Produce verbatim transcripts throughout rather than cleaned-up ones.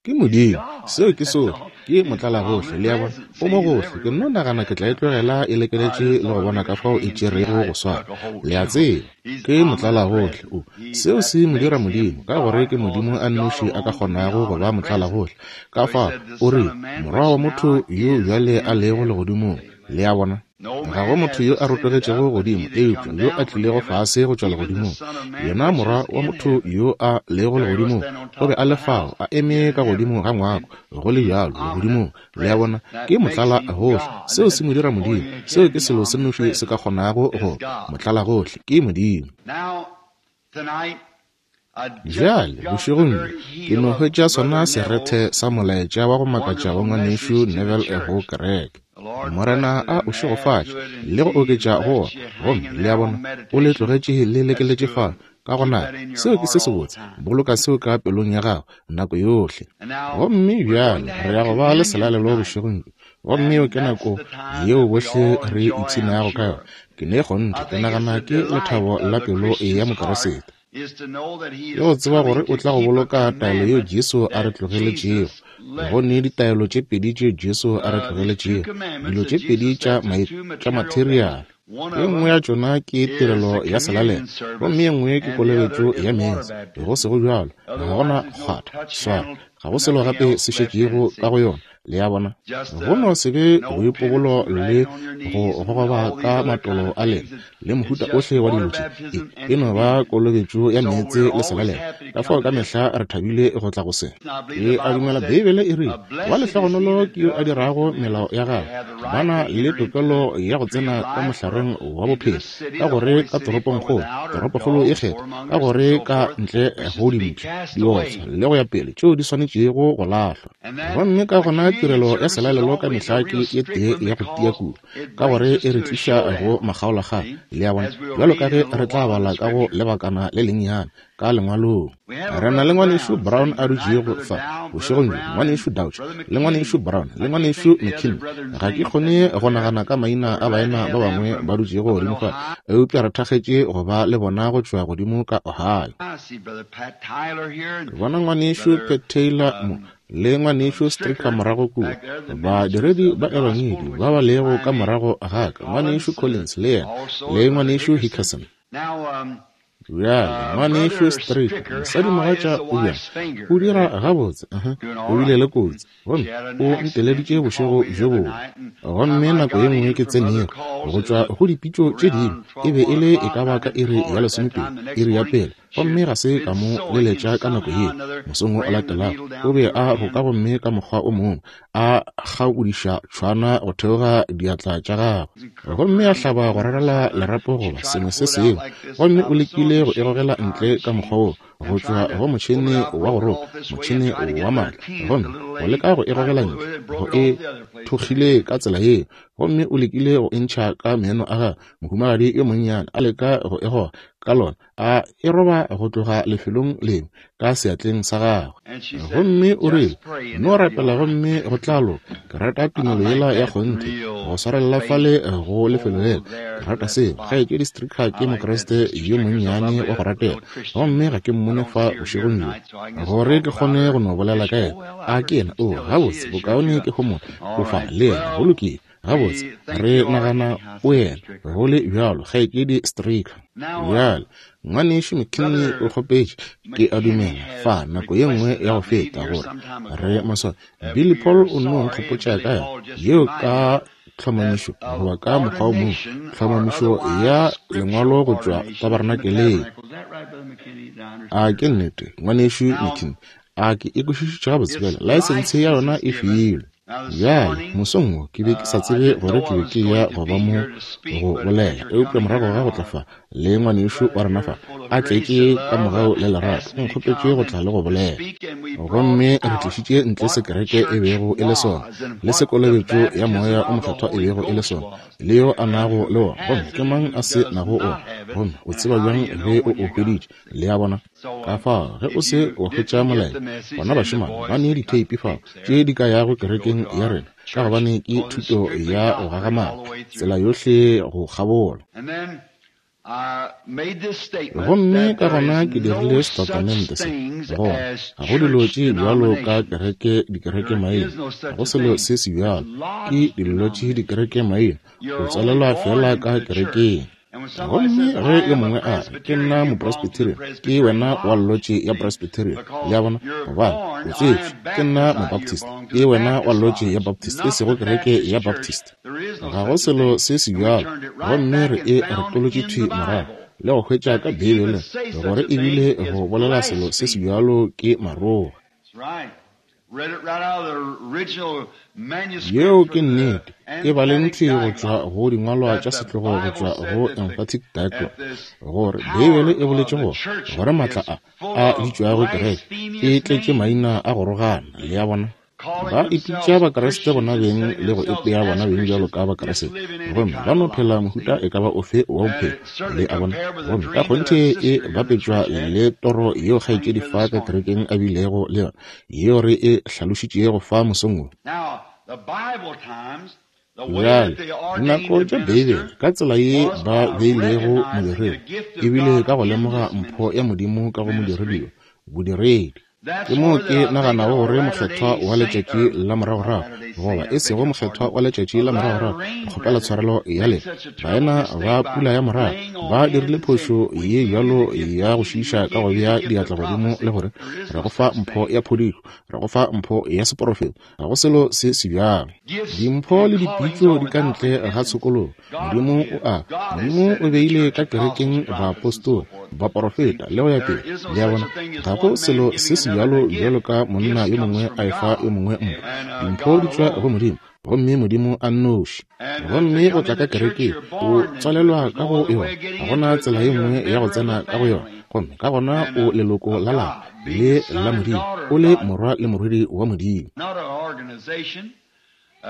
Ke Modimo, seo ke sohle. Ke motlalagohle, le a bona. O mo gohle. Ke nno nagana ke tla e tlogela e lekeletše le go bona ka fao e tšerego go swara. Le a tseba, ke motlalagohle. O, seo se mo dira Modimo, ka gore ke Modimo a nnoši a ka kgonago go ba motlalagohle. Ka fao, o rile, Morwa wa motho yo bjale a lego legodimong. Le a bona? Ga go motho yo a rotogetšego godimo, eupša yo a tlilego fase go tšwa legodimong, yena Morwa wa motho yo a lego legodimong, o be a le fao, a eme ka godimo ga ngwako, go le bjalo, legodimong. Le a bona? Ke motlalagohle. Seo se mo dira Modimo. Seo ke selo se nnoši se ka kgonago go ba motlalagohle, ke Modimo. Bjale, bošegong bjo, ke no hwetša sona serethe sa molaetša wa go makatša wa Ngwanešu Neville go kereke. Morena a o šegofatše le go oketša go wona. Gomme, le a bona, o le tlogetše le lekeletše fao. Ka gona, seo ke se sebotse. Boloka seo ka pelong ya gago nako yohle. Gomme bjale re ya go ba le selalelo bošegong bjo. Gomme yeo ke nako yeo bohle re ipshinago ka yona. Ke ne kgonthe, ke nagana ke lethabo la pelo ya Mokeresete. Ke go tseba gore o tla go boloka taelo yeo Jesu a re tlogeletšego. Go ne ditaelo tše pedi tšeo Jesu a re tlogeletšego, dilo tše pedi tša tša materiale. Ye nngwe ya tšona ke tirelo ya selalelo, gomme ye nngwe ke kolobetšo ya meetse. Go sego bjalo, ga go na kgwatha, swara, ga go selo gape se šetšego ka go yona. Le a bona? Go no se be boipobolo le go gogoba ka matolo a lena le mohuta ohle wa dilo tše. E, e no ba kolobetšo ya meetse le selalelo. Ka fao ka mehla re thabile go tla go se. Ke a dumela Beibele e rile, Wa lehlogonolo ke yo a dirago melao ya gagwe. Ba na le tokelo ya go tsena ka mohlareng wa bophelo, ka gore ka toropongkgolo, toropokgolo e kgethwa, ka gore ka ntle go dimpša, diotswa le go ya pele, tšeo di swanetšego go lahlwa. Gomme ka gona tirelo ya selalelo ka mehla ke ye tee ya go tia kudu, ka gore e re tliša go makgaolakgang, le a bona, bjalo ka ge re tla bala ka go lebakana le lennyane ka Lengwalong. Re na le Ngwanešu Brown a dutšego fa bošegong bjo, Ngwanešu Dauch, le Ngwanešu Brown, le Ngwanešu McKinney. Ga ke kgone go nagana ka maina a baena ba bangwe ba dutšego godimo fa, eupša re thakgetše go ba le bona go tšwa godimo ka Ohio. Ke bona Ngwanešu Pat Taylor mo, le Ngwanešu Stricker morago kua, badiredi ba Ebangedi ba ba lego ka morago ga ka, Ngwanešu Collins le yena, le Ngwanešu Hickerson. Bjale, Ngwanešu Stricker, mosadimogatša o bjang? O dira gabotse. Uh-huh. O bile le kotsi, gomme o nteleditše bošego bjo bongwe. Gomme nako ye nngwe ke tsenego go tšwa go dipitšo tše dingwe, e be e le e ka ba ka iri ya lesomepedi, iri ya pele, gomme ga se ka mo leletša ka nako yeo. Mosong wo o latelago o be a roka gomme ka mokgwa o mongwe a kgaodiša tšhwana go theoga diatla tša gagwe, gomme a hlaba go rarela lerapo goba sengwe se sengwe, gomme o lekile go e gogela ntle ka mokgwa wo go tšwa go motšhene wa go roka, motšhene wa maatla, gomme go leka go e gogela ntle, go e thokgile ka tsela yeo, gomme o lekile go e ntšha ka meno a gagwe. Mohumagadi yo monnyane a leka go e goga ka lona, a e roba go tloga lefelong lengwe ka seatleng sa gagwe. Gomme o rile, No rapela gomme go tla loka. Ke rata tumelo yela ya kgonthe, go swarelela fale go lefelo lela. Ke rata seo. Kgaetšedi Stricker ke Mokriste yo monnyane wa go ratega, gomme ga ke mmone fa bošegong bjo gore ke kgone go no bolela ka yena. A ke yena? Oo, gabotse, bokaone ke homole. O fa le yena. Go lokile. Gabotse, re nagana o yena, go le bjalo, Kgaetšedi Stricker. Bjale, Ngwanešu McKinney o kgopetše, ke a dumela, fa nako ye nngwe ya go feta, gore re maswabi. Billy Paul o nno nkgopotša ka yona, yeo ka tlhomamišo, goba ka mokgwa o mongwe, tlhomamišo ya lengwalo go tšwa tabernakeleng. A ke nnete, Ngwanešu McKinney? A ke e kwešišitše gabotse bjale? Laesense ya yona e filwe. Bjale, mosong wo ke be ke sa tsebe gore ke be ke ya go ba mo go bolela, eupša morago ga go tla fa le ngwanešu wa rena fa, a tletše ka mogau le lerato, o nkgopetše go tla le go bolela. Gomme re tlišitše ntle se kereke e bego e le sona, le se kolobetšo ya Moya o Mokgethwa e bego e le sona, le yo a nago le wona, gomme ke mang a se nago wona, gomme o tseba bjang ge o o hweditše. Le a bona? Ka fao, ge o se wa hwetša molaetša, gona bašemane ba ne ditheipi fao tše di ka yago kerekeng ya rena, ka gobane ke thuto ya go gagamala, tsela yohle go kgabola. Gomme ka gona ke dirile setatamente se, gore ga go dilo tše bjalo ka kereke dikereke maina, ga go selo se se bjalo, ke dilo tše dikereke maina, o tswalelwa fela ka kerekeng. Gomme ge yo mongwe a re, ke nna mopresbyterian, ke wena wa lotše ya Presbyterian, le a bona, gobane o tswetšwe. Ke nna mobaptist, ke wena wa lotše ya Baptist, e sego kereke ya Baptist. Ga go selo se se bjalo. Gomme re e retolotše thwi morago le go hwetša ka Beibeleng gore ebile go bolela selo se se bjalo ke maroga. Yeo ke nnete, e baleng thwi go tšwa go dingwalwa tša setlogo go tšwa go Emphatic Diaglott, gore Beibele e boletše gore gore maatla a a bitšwago kereke e tletše maina a go rogana, le a bona. Ba ipitša Bakriste bona beng le go ipea bona beng bjalo ka Bakriste, gomme ba no phela mohuta e ka ba ofe wa bophelo, le a bona. Gomme ka kgonthe e bapetšwa le toro yeo kgaetšedi fa ka kerekeng a bilego le yona, yeo re e hlalošitšego fa mosong wo. Bjale, dinako tša Beibele, ka tsela ye ba beilego modiredi, ebile ka go lemoga mpho ya Modimo ka go modiredi yo, bodiredi. Ke moo ke naganago gore mokgethwa wa letšatši la moragorago, goba e sego mokgethwa wa letšatši la moragorago, ke kgopela tshwarelo ya lena, baena ba pula ya morago ba dirile phošo ye bjalo ya go šiiša ka go bea diatla godimo le gore re go fa mpho ya phodišo, re go fa mpho ya seporofeto. Ga go selo se se bjalo. Dimpho le dipitšo di ka ntle ga tshokologo. Modimo o a Modimo o beile ka kerekeng baapostola, baporofeta le go ya pele, le a bona. Ga go selo se se bjalo bjalo ka monna yo mongwe a efa yo mongwe mpho. Dimpho di tšwa go Modimo, gomme Modimo a nnoši. Gomme go tla ka kerekeng, o tswalelwa ka go yona, ga gona tsela ye nngwe ya go tsena ka go yona. Gomme ka gona o leloko la lapa le la Modimo, o le morwa le morwedi wa Modimo.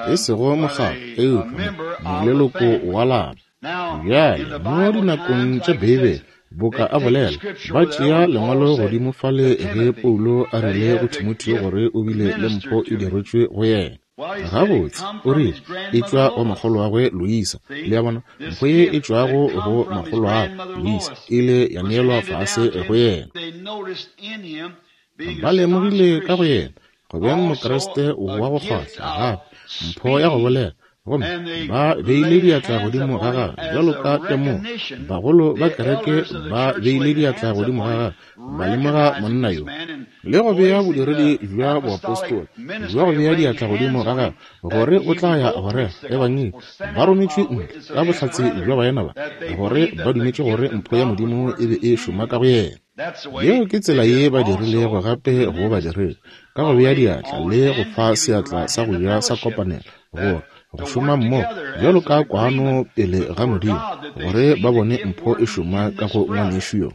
E sego mokgatlo, eupša moleloko wa lapa. Bjale, mo dinakong tša Beibele, boka a bolela, ba tšea lengwalo godimo fale ge Paulo a rile go Timotheo gore o bile le mpho e diretšwe go yena. Gabotse, o rile, e tšwa go makgolo wagwe Loisa. Le a bona, mpho ye e tšwago go makgolo wagwe Loisa ile ya neelwa fase go yena. Ba lemogile ka go yena go beng Mokriste wa go kgahla, gape mpho ya go bolela, gomme ba beile diatla godimo ga gagwe bjalo ka temogo. Bagolo ba kereke ba beile diatla godimo ga gagwe, ba lemoga monna yo le go bea bodiredi bja boapostola bja go bea diatla godimo ga gagwe gore o tla ya go rera ebangedi. Ba rometšwe ntle ka bohlatse bja baena ba gore ba dumetše gore mpho ya Modimo e be e šoma ka go yena. Yeo ke tsela ye ba dirilego gape go badiredi, ka go bea diatla le go fa seatla sa go ja sa kopanelo, gore go šoma mmogo bjalo ka kwano pele ga Modimo, gore ba bone mpho e šoma ka go ngwanešu yo,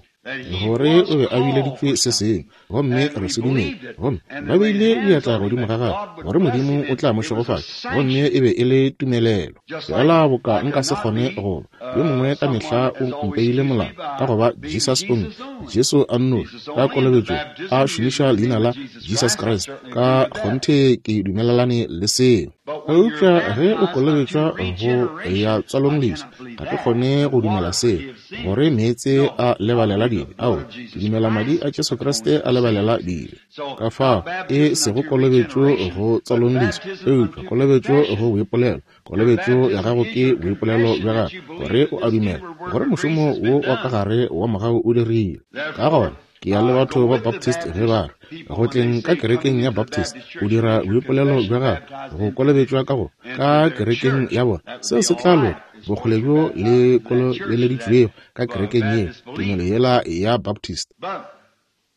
gore o be a bileditšwe se sengwe, gomme re se dumele. Gomme ba beile diatla godimo ga gagwe gore Modimo o tla mo šegofatša, gomme e be e le tumelelo. Fela boka nka se kgone go ba yo mongwe ka mehla o mpeile molao ka go ba Jesus only, Jesu a nnoši, ka kolobetšo a šomiša leina la Jesus Christ, ka kgonthe ke dumelelane le seo. Eupša ge o kolobetšwa go ya tswalong leswa, ga ke kgone go dumela seo, gore meetse a lebalela dibe. Ao, ke dumela madi a Jesu Kriste a lebalela dibe. Ka fao e sego kolobetšo go tswalong leswa, eupša kolobetšo go boipolelo. Kolobetšo ya gago ke boipolelo bja gago, gore o a dumela gore mošomo wo wa ka gare wa mogau o dirile. Ka gona ke ya le batho ba Baptist ge ba re go tleng ka kerekeng ya Baptist o dira boipolelo bja gago go kolobetšwa ka go ka kerekeng ya bona, seo se tla loka bokgole bjo le kolobeleditšwego ka kerekeng yeo, tumelo yela ya Baptist.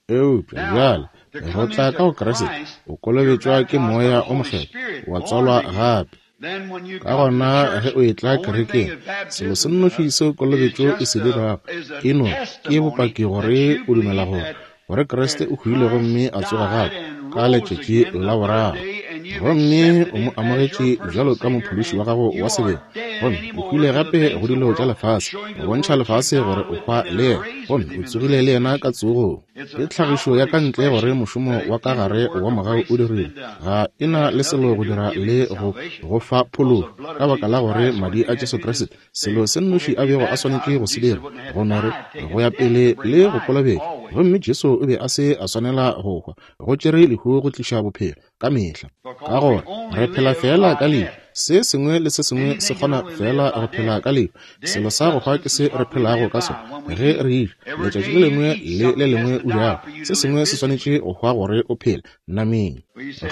Eupša bjale go tla ka go Kriste, o kolobetšwa ke Moya o Mokgethwa, wa tswalwa gape. Ka gona ge o etla kerekeng, selo se nnoši seo kolobetšo e se dirago e no ke bopaki gore o dumela gore gore Kriste o hwile gomme a tsoga gape ka letšatši la boraro, gomme o mo amogetše bjalo ka mophološi wa gago wa sebele, gomme o hwile gape go dilo tša lefase, go bontšha lefase gore o hwa le yena, gomme o tsogile le yena ka tsogong. Ke tlhagišo ya ka ntle gore mošomo wa ka gare wa mogau o dirile. Ga e na le selo go dira le go go fa phološo, ka baka la gore madi a Jesu Kriste, selo se nnoši a bego a swanetše go se dira, go no re go ya pele le go kolobetša. Gomme Jesu o be a se a swanela go hwa, go tšere lehu go tliša bophelo ka mehla. Ka gore re phela fela ka lehu, se sengwe le se sengwe se kgona fela go phela ka lehu. Selo sa go hwa ke se re phelago ka sona ge re eja. Letšatši le lengwe le le lengwe o jago, se sengwe se swanetše go hwa gore o phele nameng.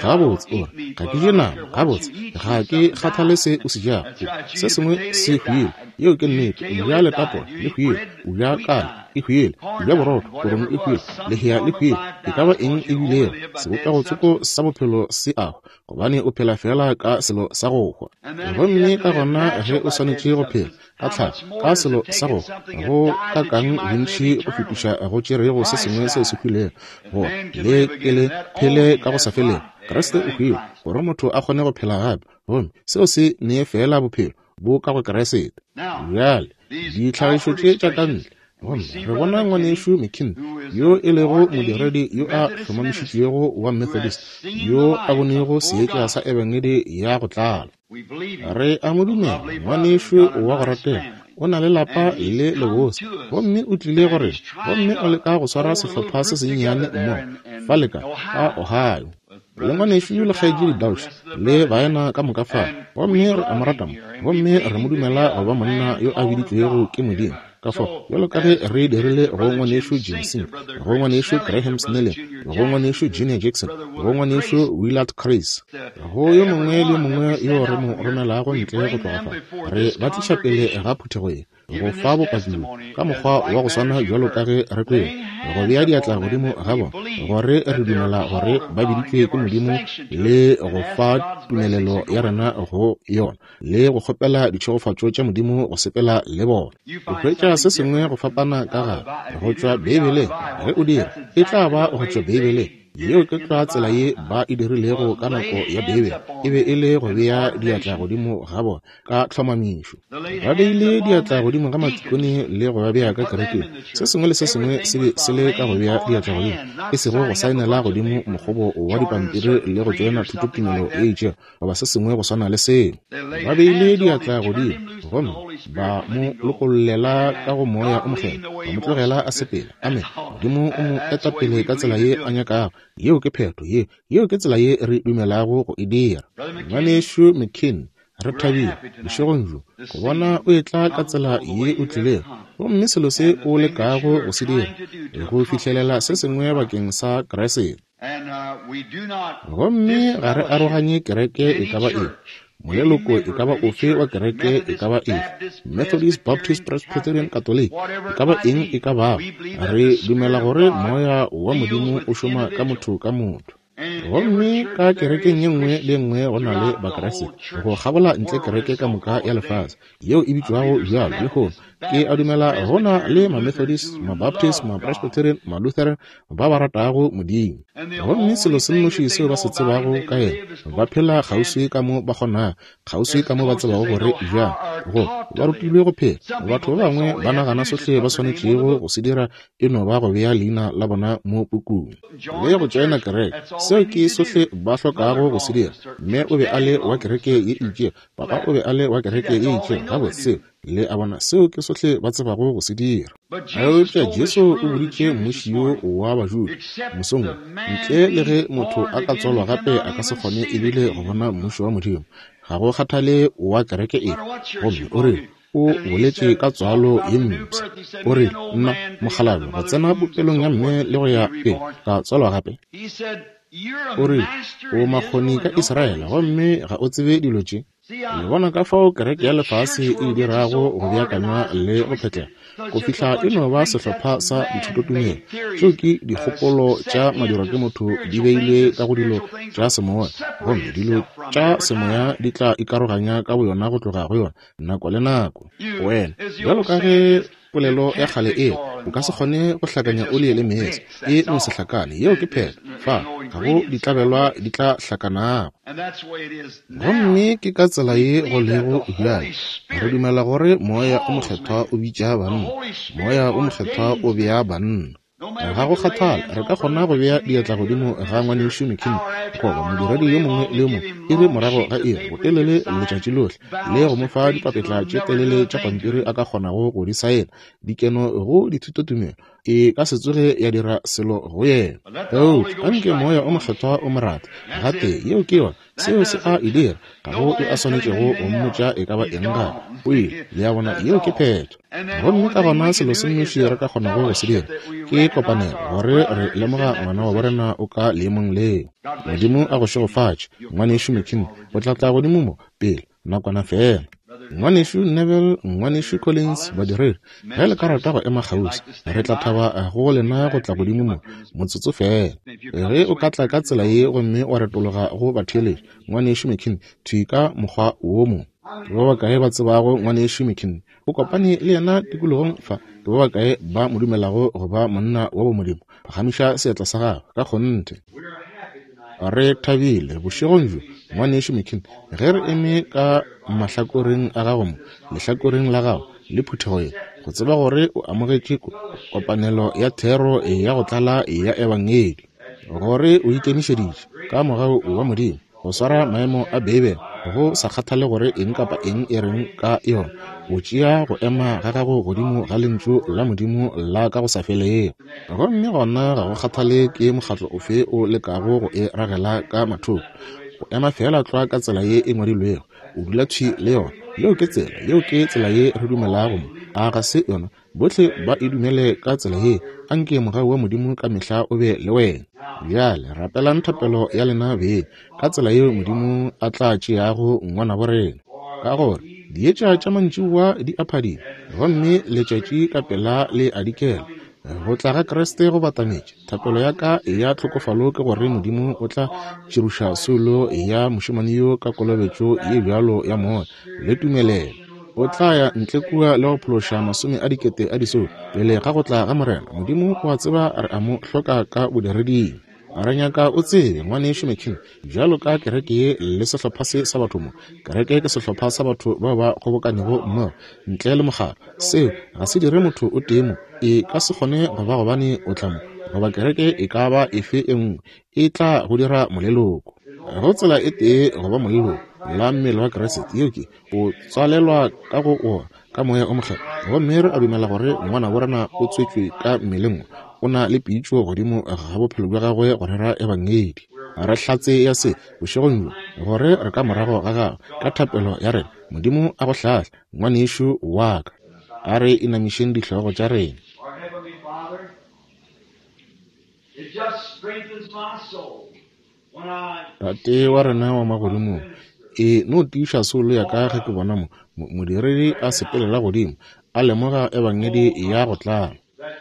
Gabotse o re, ga ke je nama. Gabotse, ga ke kgathale se o se jago. Se sengwe se hwile. Yeo ke nnete. O ja letapola, le hwile. O ja kala, e hwile. O ja borotho, korong e hwile. Lehea le hwile. E ka ba eng e bilego, sebopego tsoko sa bophelo se a hwa, gobane o phela fela ka selo sa go hwa. Gomme ka gona ge o swanetše go phela ka tlhago, ka selo sa go hwa, go ka kang bontši go fetiša go tšerego se sengwe seo se hwilego, gore le ke le phele ka go sa felego. Kriste o hwile gore motho a kgone go phela gape, gomme seo se nee fela bophelo bo ka go Kriste. Bjale ditlhagišo tše tša ka ntle, gomme re bona ngwanešu McKinney, yo e lego modiredi yo a hlomamišitšwego wa Methodist, yo a bonego seetša sa ebangedi ya go tlala. Re a mo dumela, ngwanešu wa go ratega, o na le lapa le lebose, gomme o tlile go rena, gomme o leka go swara sehlopha se sennyane mmogo fale ka ka Ohio, le ngwanešu le kgaetšedi Dauch le baena ka moka fale. Gomme re a mo rata mo, gomme re mo dumela go ba monna yo a biditšwego ke Modimo. Ka fao, bjalo ka ge re dirile go ngwanešu Jim Sink, go ngwanešu Graham Snelling, go ngwanešu Junior Jackson, go ngwanešu Willard Chris, go yo mongwe le yo mongwe yo re mo romelago ntle go tloga fa, re ba tliša pele ga phuthego ye go fa bopaki ka mokgwa wa go swana bjalo ka ge re kwele, go bea diatla godimo ga bona, gore re dumela gore ba biditšwe ke Modimo, le go fa tumelelo ya rena go yona, le go kgopela ditšhegofatšo tša Modimo go sepela le bona. O hwetša se sengwe go fapana ka gare go tšwa Beibeleng. Ge o dira, e tla ba go tšwa Beibeleng. Yeo ke tlwa tsela ye ba e dirilego ka nako ya Beibele, e be e le go bea diatla godimo ga bona ka tlhomamišo. Ba beile diatla godimo ga matikone le go ba bea ka kerekeng. Se sengwe le se sengwe se be se le ka go bea diatla godimo, e sego go saenela godimo mokgobo wa dipampiri le go tšoena thutotumelo e itšego goba se sengwe go swana le seo. Ba beile diatla godimo gomme ba mo lokollela ka go Moya o Mokgethwa, ba mo tlogela a sepela. Amen. Modimo o mo eta pele ka tsela ye a nyakago. Yeo ke phetho ye, yeo ke tsela ye re dumelago go e dira. Ngwanešu McKinney, re thabile bošegong bjo go bona o etla ka tsela ye o tlilego, gomme selo se o lekago go se dira, go fihlelela se sengwe bakeng sa Kriste. Gomme ga re aroganye kereke e ka ba efe, moleloko e ka ba ofe wa kereke e ka ba efe, Methodist, Baptist, Presbyterian, Catholic, e ka ba eng e ka bago. Re dumela gore Moya wa Modimo o šoma ka motho ka motho. Gomme ka kerekeng ye nngwe le nngwe go na le Bakriste go kgabola ntle kereke ka moka ya lefase yeo e bitšwago bjalo lehono. Ke a dumela go na le ma-Methodist, ma-Baptist, ma-Presbyterian, ma-Lutheran ba ba ratago Modimo. Gomme selo se nnoši seo ba se tsebago ka yena, ba phela kgauswi ka mo ba kgonago, kgauswi ka mo ba tsebago gore bjang, go ba rutilwe go phela. Batho ba bangwe ba nagana sohle ba swanetšego go se dira e no ba go bea leina la bona mo pukung le go tšoena kereke. Seo ke sohle ba hlokago go se dira. Mme o be a le wa kereke ye itšego, papa o be a le wa kereke ye itšego. Gabotse, seo le a bona, seo ke sohle ba tsebago go se dira. Eupša Jesu o boditše mmuši yo wa Bajuda mosong wo, ntle le ge motho a ka tswalwa gape a ka se kgone ebile go bona mmušo wa Modimo, ga go kgathale wa kereke efe. Gomme o rile, o boletše ka tswalo ye mpsha. O rile, nna mokgalabje go tsena popelong ya mme le go ya pele ka tswalwa gape. O rile, o makgoni ka Israele gomme ga o tsebe dilo tše. Le bona ka fao kereke ya lefase e dirago go beakanywa le go phetlega go fihla e no ba sehlopha sa dithutotumelo. Tšeo ke dikgopolo tša madirwa ke motho di beilwe ka go dilo tša semoya, gomme dilo tša semoya di tla ikaroganya ka boyona go tloga go yona nako le nako. Wena, bjalo ka ge polelo ya kgale e, o ka se kgone go hlakanya oli le meetse, e no se hlakane. Yeo ke phetho. Fa ga go ditlabelwa di tla hlakanago. Gomme ke ka tsela ye go lego bjale. Re dumela gore Moya o Mokgethwa o bitša banna, Moya o Mokgethwa o bea banna. Ga go kgathale, re ka kgona go bea diatla godimo ga ngwanešu McKinney goba modiredi yo mongwe le yo mongwe iri morago ga iri, botelele letšatši lohle, le go mo fa dipapetla tše telele tša pampiri a ka kgonago go di saena, dikeno go dithutotumelo, e ka se tsoge ya dira selo go yena. Eupša anke Moya o Mokgethwa o mo rate gatee, yeo ke yona, seo se a e dira. Ga go e a swanetšego go mmotša e ka ba eng gape. O ile, le a bona, yeo ke phetho. Gomme ka gona selo se nnoši re ka kgonago go se dira ke kopanelo, gore re lemoga ngwana wa borena o ka leemong leo. Modimo a go šegofatše, ngwanešu McKinney. O tla tla godimo mo pele nakwana fela. Ngwanešu Neville, ngwanešu Collins, badiredi, ge le ka rata go ema kgauswi, re tla thaba go lena go tla godimo mo motsotso fela. Ge o ka tla ka tsela ye gomme wa retologa go batheeletši, ngwanešu McKinney, thwi ka mokgwa wo mongwe. Ke ba bakae ba tsebago ngwanešu McKinney? O kopane le yena tikologong fa. Ke ba bakae ba mo dumelago go ba monna wa bomodimo? Phagamiša seatla sa gagwe ka kgonthe. Re thabile bošegong bjo, ngwanešu McKinney, ge re eme ka mahlakoreng a gago mo, lehlakoreng la gago le phuthego ye, go tseba gore o amogetše kopanelo ya thero ya go tlala ya ebangedi, gore o ikemišeditše ka mogau wa Modimo go swara maemo a Beibele, go sa kgathale gore eng kapa eng e reng ka yona, o tšea go ema ga gago godimo ga lentšu la Modimo la ka go sa felego. Gomme gona ga go kgathale ke mokgatlo ofe o lekago go e ragela ka mathoko, go ema fela tlwa ka tsela ye e ngwadilwego, o dula thwi le yona. Yeo ke tsela, yeo ke tsela ye re dumelago mo. A ga se yona? Bohle ba e dumele ka tsela ye. Anke mogau wa Modimo ka mehla o be le wena. Bjale rapelang thapelo ya lena beng ka tsela yeo Modimo a tla tšeago ngwana bo rena, ka gore dietša tša mantšiboa di a phadima, gomme letšatši ka pela le a dikela. Go tla ga Kriste go batametše. Thapelo ya ka ya tlhokofalo ke gore Modimo o tla tširoša soulo ya mošemane yo ka kolobetšo ye bjalo ya moya le tumelelo. O tla ya ntle kua le go phološa masome a dikete a disoulo pele ga go tla ga Morena. Modimo o a tseba re a mo hloka ka bodireding. Re nyaka o tsebe, ngwanešu McKinney, bjalo ka kereke ye le sehlopha se sa batho mo. Kereke ke sehlopha sa batho bao ba kgobokanego mmogo ntle le mokgatlo. Seo ga se dire motho o tee mo. E ka se kgone go ba gobane o tla mo, goba kereke e ka ba efe e nngwe e tla go dira moleloko. Go tsela e tee go ba moleloko la mmele wa Kriste, yeo ke o tswalelwa ka go ona ka Moya o Mokgethwa. Gomme re a dumela gore ngwana bo rena o tswetšwe ka mmeleng, o na le pitšo godimo ga bophelo bja gagwe go rera ebangedi. Re hlatse ya se bošegong bjo, gore re ka morago ga gagwe ka thapelo ya rena. Modimo a go hlahle, ngwanešu wa ka. A re inamišeng dihlogo tša rena. Tate wa rena wa magodimong, e no tiiša soulo ya ka ge ke bona mo modiredi a sepelela godimo, a lemoga ebangedi ya go tlala,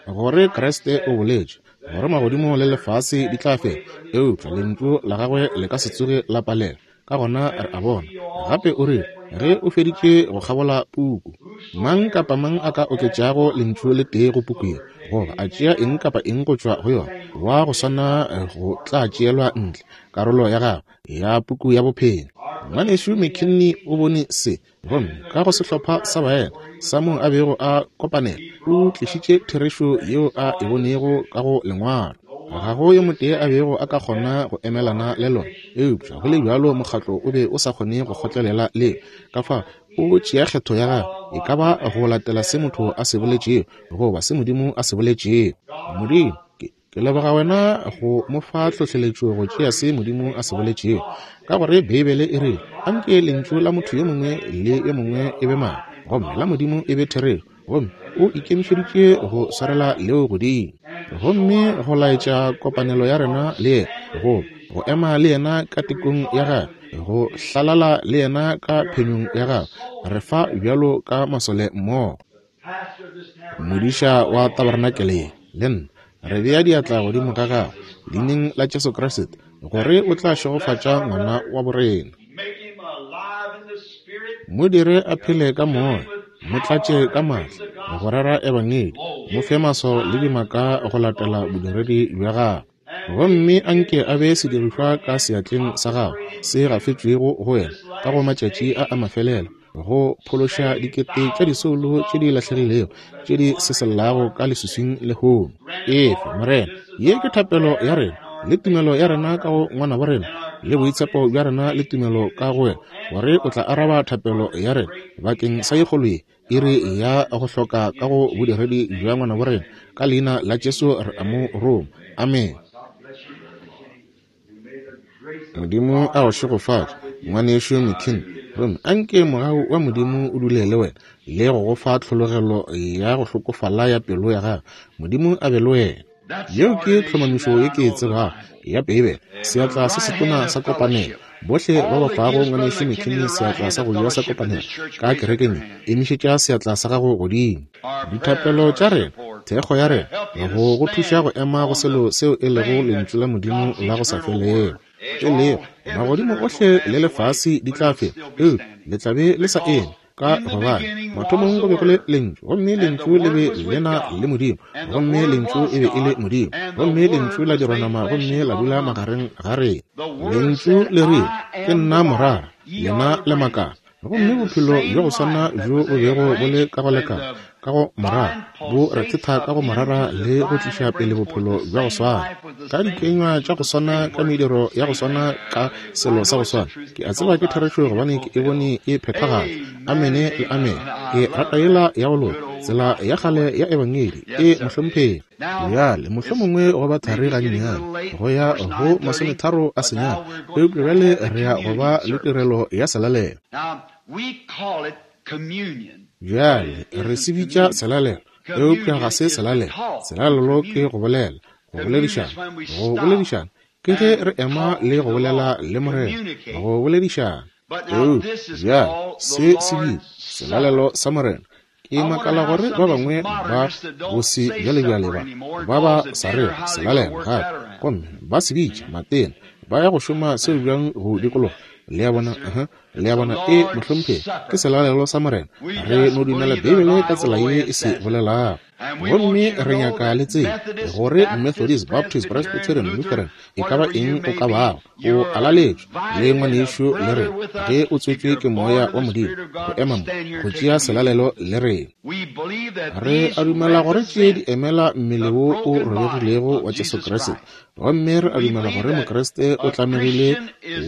gore Kriste o boletše gore magodimo le lefase di tla fela, eupša lentšu la gagwe le ka se tsoge la palela. Ka gona re a bona gape o rile ge o feditše go kgabola puku, mang kapa mang a ka oketšago lentšu le tee go puku ye, goba a tšea eng kapa eng go tšwa go yona, wa go swana go tla tšeelwa ntle karolo ya gagwe ya puku ya bophelo. Ngwanešu McKinney o bone se, gomme ka go sehlopha sa baena sa moo a bego a kopanela, o tlišitše therešo yeo a e bonego ka go lengwalo. Ga go yo motee a bego a ka kgona go emelana le lona, eupša go le bjalo mokgatlo o be o sa kgone go kgotlelela leo. Ka fao o tšea kgetho ya gagwe, e ka ba go latela se motho a se boletšego goba se Modimo a se boletšego. Modimo, ke ke leboga wena go mo fa tlhohleletšo go tšea se Modimo a se boletšego, ka gore Beibele e rile anke lentšu la motho yo mongwe le yo mongwe e be maaka, gomme la Modimo e be therešo. Gomme o ikemišeditše go swarela leo godimo, gomme go laetša kopanelo ya rena le yena, go go ema le yena ka tekong ya gagwe, go hlalala le yena ka phenyong ya gagwe. Re fa bjalo ka masole mmogo. Modiša wa tabarenakele ye le nna re bea diatla godimo ga gagwe leineng la Jesu Kriste, gore o tla šegofatša ngwana wa borena. Mo dire a phele ka moya, mo tlatše ka maatla go rera ebangedi, mo fe maswao le dimaka go latela bodiredi bja gagwe. Gomme anke a be sedirišwa ka seatleng sa gagwe se gafetšwego go wena ka go matšatši a a mafelelo, go phološa dikete tša disoulo tše di lahlegilego tše di sesellago ka leswiswing lehono. Efa, Morena, ye ke thapelo ya rena le tumelo ya rena ka go ngwana wa rena le boitshepo bja rena le tumelo ka go wena, gore o tla araba thapelo ya rena bakeng sa ye kgolo ye iri ya go hloka ka go bodiredi bja ngwana wa rena. Ka leina la Jesu re a mo roma. Amen. Modimo a go šegofatše, ngwanešu McKinney. Gomme anke mogau wa Modimo o dule le wena le go go fa tlhologelo ya go hlokofala ya pelo ya gago. Modimo a be le wena. Yeo ke tlhomamišo ye ke e tsebago ya Beibele, seatla se setona sa kopanelo. Bohle ba ba fago ngwanešu McKinney seatla sa go ja sa kopanelo ka kerekeng ye, emišetša seatla sa gago godimo. Dithapelo tša rena, thekgo ya rena, go go thuša go ema go selo seo e lego lentšu la Modimo la go sa felego. E lego magodimo ohle le lefase di tla fela, eupša le tla be le sa eme, ka gobane mathomong go be go le lentšu, gomme lentšu le be le na le Modimo, gomme lentšu e be e le Modimo, gomme lentšu la dirwa nama gomme la dula magareng ga rena. Lentšu le rile, ke nna morara, lena le makala. Gomme bophelo bja go swana bjo bo bego bo le ka go lekana ka go morara bo rethetha ka go morara le go tliša pele bophelo bja go swana, ka dikenywa tša go swana, ka mediro ya go swana, ka selo sa go swana. Ke a tseba ke therešo gobane ke e bone e phethagala. Amene le amene. Ke rata yela ya go loka, tsela ya kgale ya ebangedi e mohlomphegi. Bjale mohlomongwe go ba thari gannyane, go ya go masometharo a senyane, eupša bjale re ya go ba le tirelo ya selalelo. Bjale re se bitša selalelo, eupša ga se selalelo. Selalelo ke go bolela, go boledišana. Go boledišana ke ge re ema le go bolela le Morena, go boledišana. Eupša bjale se se bitša selalelo sa Morena. Ke makala gore ba bangwe ba bose bjalebjale ba ba ba sa rego selalelo gape, gomme ba se bitša matena, ba ya go šoma seo bjang go dikologa. Le a bona? Uh-huh. Le a bona? E mohlomphegi, ke selalelo sa Morena. Re no dumela Beibele ka tsela ye e se bolelago. Gomme re nyaka le tsebe gore Methodist, Baptist, Presbyterian, Lutheran, e ka ba eng o ka bago, o alaletšwe le ngwanešu le rena ge o tswetšwe ke moya wa Modimo go ema mo go tšea selalelo le rena. Re a dumela gore tše di emela mmele wo o robegilego wa Jesu Kriste, gomme re a dumela gore Mokriste o tlamegile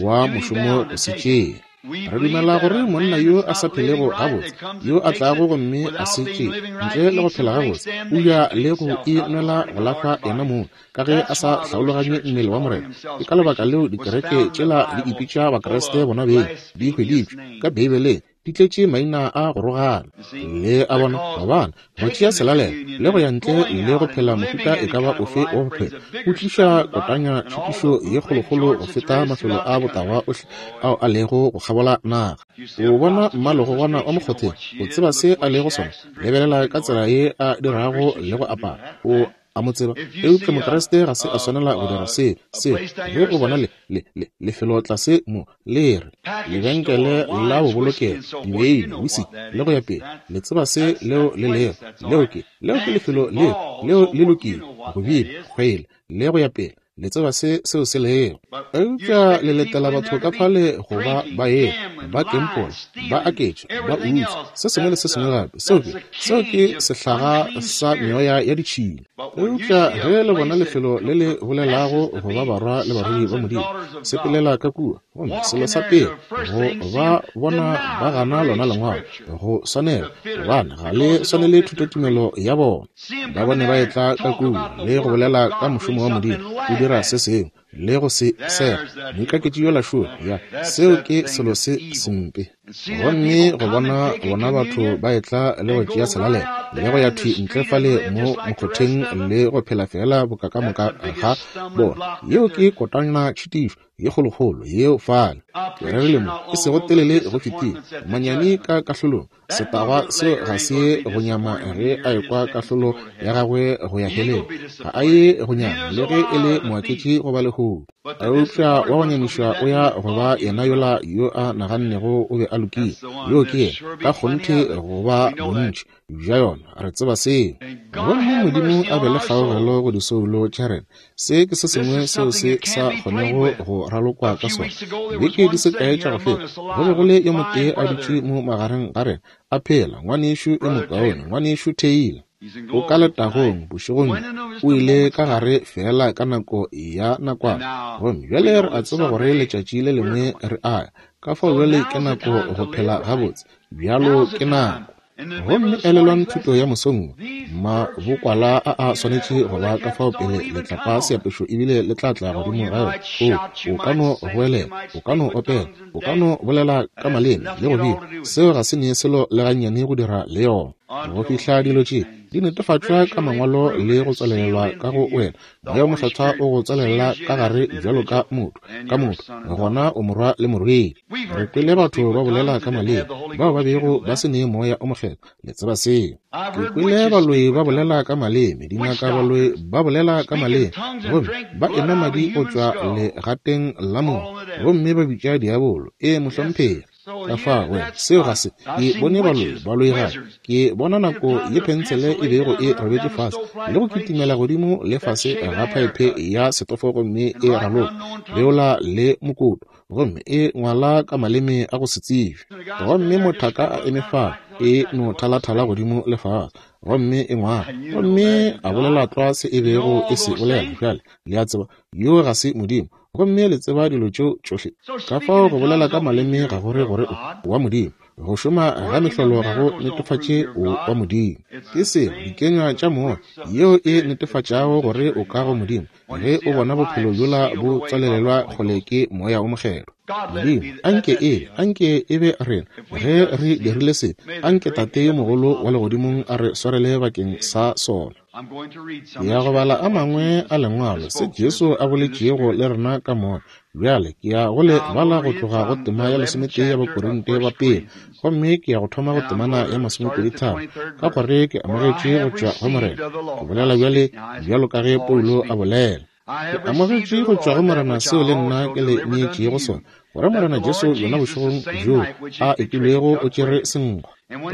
wa mošomo go se tšee. Re dumela gore monna yo a sa phelego gabotse, yo a tlago gomme a se tšee ntle le go phela gabotse, o ja le go inwela go lahla yena mong, ka ge a sa hlaologanye mmele wa Morena. Ke ka lebaka leo dikereke tšela di ipitša Bakriste bona beng, di hweditšwe ka Beibeleng, di tletše maina a go rogana. Le a bona? Gobane go tšea selalelo le go ya ntle le go phela mohuta e ka ba ofe wa bophelo o tliša kotanya tšhutišo ye kgolokgolo go feta mafelo a botagwa ohle ao a lego go kgabola naga. O bona mmalogogwana wa mokgotheng, o tseba se a lego sona, lebelela ka tsela ye a dirago le go apara, o a mo tseba. Eupša Mokriste ga se a swanela go dira se seo. Ge o bona le le le lefelo tlase mo le re lebenkele la bobolokelo, dibeine, whisky le go ya pele, le tseba se leo le lego. Leo ke leo ke lefelo leo leo le lokile go bina, kgwele le go ya pele, le tseba se seo se lego. Eupša le letela batho ka fale go ba ba ye ba kempola, ba aketša, ba utswa, se sengwe le se sengwe gape. Seo ke seo ke sehlaga sa meoya ya ditšhila. Eupša ge le bona lefelo le le bolelago go ba barwa le barwedi ba Modimo, sepelela ka kua, gomme selo sa pele go ba bona ba gana lona lengwalo go swanela, gobane ga le swanele thutotumelo ya bona. Ba bone ba etla ka kua le go bolela ka mošomo wa Modimo, o dira se sengwe le go se sega moikaketši yola šo ya seo ke selo se sempe. Gomme go bona bona batho ba etla le go tšea selalelo le go ya thwi ntle fale mo mokgotheng le go phela fela boka ka moka ga bona, yeo ke kotana tšhitišo ye kgolokgolo yeo fale. Ke rerile mo e sego telele go fetile, manyami ka kahlolong. Setagwa seo ga se ye go nyama ge a ekwa kahlolo ya gagwe go ya heleng. Ga a ye go nyama le ge e le moaketši goba lehodu. lehodu. Eupša wa go nyamišwa o ya go ba yena yola yo a nagannego o be a lokile. Yo ke yena, ka kgonthe go ba bontši bja yona, re tseba seo. Gomme Modimo a be le kgaogelo go disoulo tša rena. Se ke se sengwe seo se sa kgonego go ralokwa ka sona. Beke di se kae tša go feta, go be go le yo motee a dutše mo magareng ga rena, a phela, ngwanešu yo mokaone, ngwanešu Taylor. O ka letagong bošegong, o ile ka gare fela ka nako ya nakwana. Gomme bjale re a tseba gore letšatši le lengwe re a ya. Ka fao bjale ke nako go phela gabotse, bjalo ke nako. Gomme elelwang thuto ya mosong, mabokwala a a swanetše go ba ka fao pele letlapa seapešo ebile le tla tla godimo ga yona. O, o ka no goelela, o ka no opela, o ka no bolela ka maleme le go bina. Seo ga se ne selo le gannyane go dira le yona. Go fihla dilo tše di netefatšwa ka mangwalo le go tswalelelwa ka go wena, Moya wo Mokgethwa o go tswalela ka gare bjalo ka motho, ka motho, gona o morwa le morwedi. Re kwele batho ba bolela ka maleme, bao ba bego ba se ne Moya o Mokgethwa, le tseba seo. Ke kwele baloi ba bolela ka maleme, dingaka baloi ba bolela ka maleme, gomme ba enwa madi go tšwa legateng la motho, gomme ba bitša diabolo. Ee, mohlomphegi. Ka fa wena, seo ga se. Ke bone baloi, baloi gape. Ke bona nako ye pensele e bego e robetše fase le go kitimela godimo le fase ga phaephe ya setofo gomme e raloka beola le mokoto, gomme e ngwala ka maleme a go se tsebje. Gomme mothaka a eme fa, e no thalathala godimo le fase, gomme e ngwala, gomme a bolela tlwa se e bego e se bolela. Bjale le a tseba, yo ga se Modimo. Gomme le tseba dilo tšeo tšohle. Ka fao go bolela ka maleme ga gore gore o wa Modimo. Go šoma ga mehlolo ga go netefatše o wa Modimo. Ke seo dikenywa tša moya yeo e netefatšago gore o ka go Modimo, ge o bona bophelo bjola bo tswalelelwa kgole ke Moya o Mokgethwa. Modimo, anke e, anke e be rena ge re dirile se, anke Tate yo mogolo wa legodimong a re swarele bakeng sa sona. Ke ya go bala a mangwe a lengwalo se Jesu a boletšego le rena ka moya. Bjale ke ya go le bala go tloga go tema ya lesometee ya Bakorinte ba pele, gomme ke ya go thoma go temana ya masomepedi tharo, ka gore ke amogetše go tšwa go Morena. Ke bolela bjale bjalo ka ge Paulo a bolela. Ke amogetše go tšwa go Morena seo le nna ke le neetšego sona, gore Morena Jesu yona bošegong bjo a ekilwego o tšere senkgwa,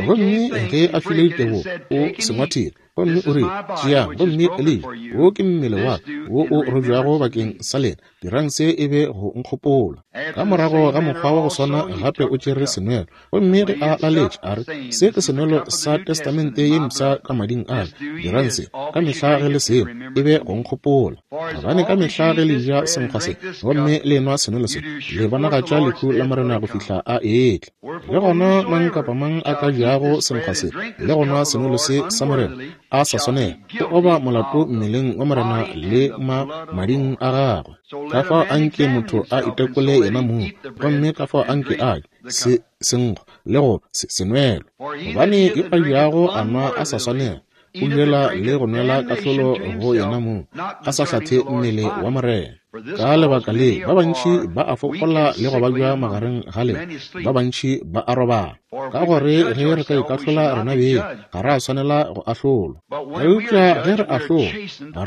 gomme ge a file ditebogo o se ngwathile, gomme o rile, tšeang gomme le je, wo ke mmele wa ka wo o robjago bakeng sa lena, dirang se e be go nkgopola. Ka morago ga mokgwa wa go swana gape o tšere senwelo, gomme ge a laletše a re, se ke senwelo sa testamente ye mpsha ka mading a ka, dirang se ka mehla ge le seno e be go nkgopola. Gobane ka mehla ge le ja senkgwa se gomme le enwa senwelo se, le bonagatša lehu la Morena go fihla a etla. Le gona mang kapa mang a ka jago senkgwa se le go nwa senwelo se sa Morena a sa swanela, o oba molato mmeleng wa Morena le ma mading a gagwe. Ka fao anke motho a itekole yena mong, gomme ka fao anke a je se senkgwa le go se senwelo. Gobane yo a jago a nwa a sa swanela, o jela le go nwela kahlolo go yena mong, a sa hlathe mmele wa Morena. Ka lebaka le, ba bantši ba a fokola le go babja magareng ga lena, ba bantši ba a robala. Ka gore ge re ka ikahlola rena beng, ga re a swanela go ahlolwa. Eupša ge re ahlolwa,